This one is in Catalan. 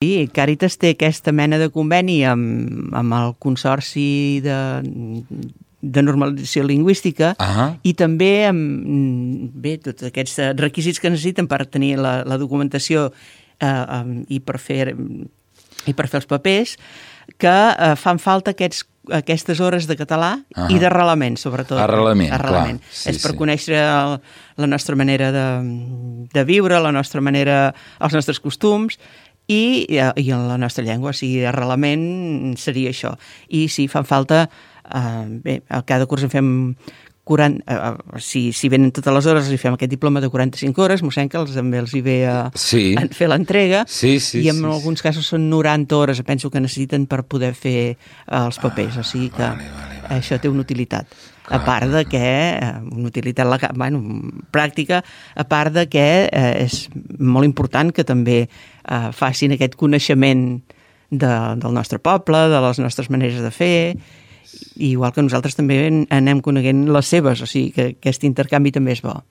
Sí, Càritas té aquesta mena de conveni amb el Consorci de Normalització Lingüística i també amb tots aquests requisits que necessiten per tenir la documentació i per fer els papers, que fan falta aquestes hores de català i d'arrelament, sobretot. Arrelament, és per conèixer la nostra manera de viure, la nostra manera, els nostres costums i en la nostra llengua. O sigui, arrelament seria això. I sí, fan falta... a cada curs en fem 40... Si venen totes les hores, fem aquest diploma de 45 hores, mossèn que també els hi ve a fer l'entrega, i en alguns casos són 90 hores, penso que necessiten per poder fer els papers, o sigui que això té una utilitat. A part de que, una utilitat pràctica, a part de que és molt important que també facin aquest coneixement del nostre poble, de les nostres maneres de fer, igual que nosaltres també anem coneguent les seves, o sigui que aquest intercanvi també és bo.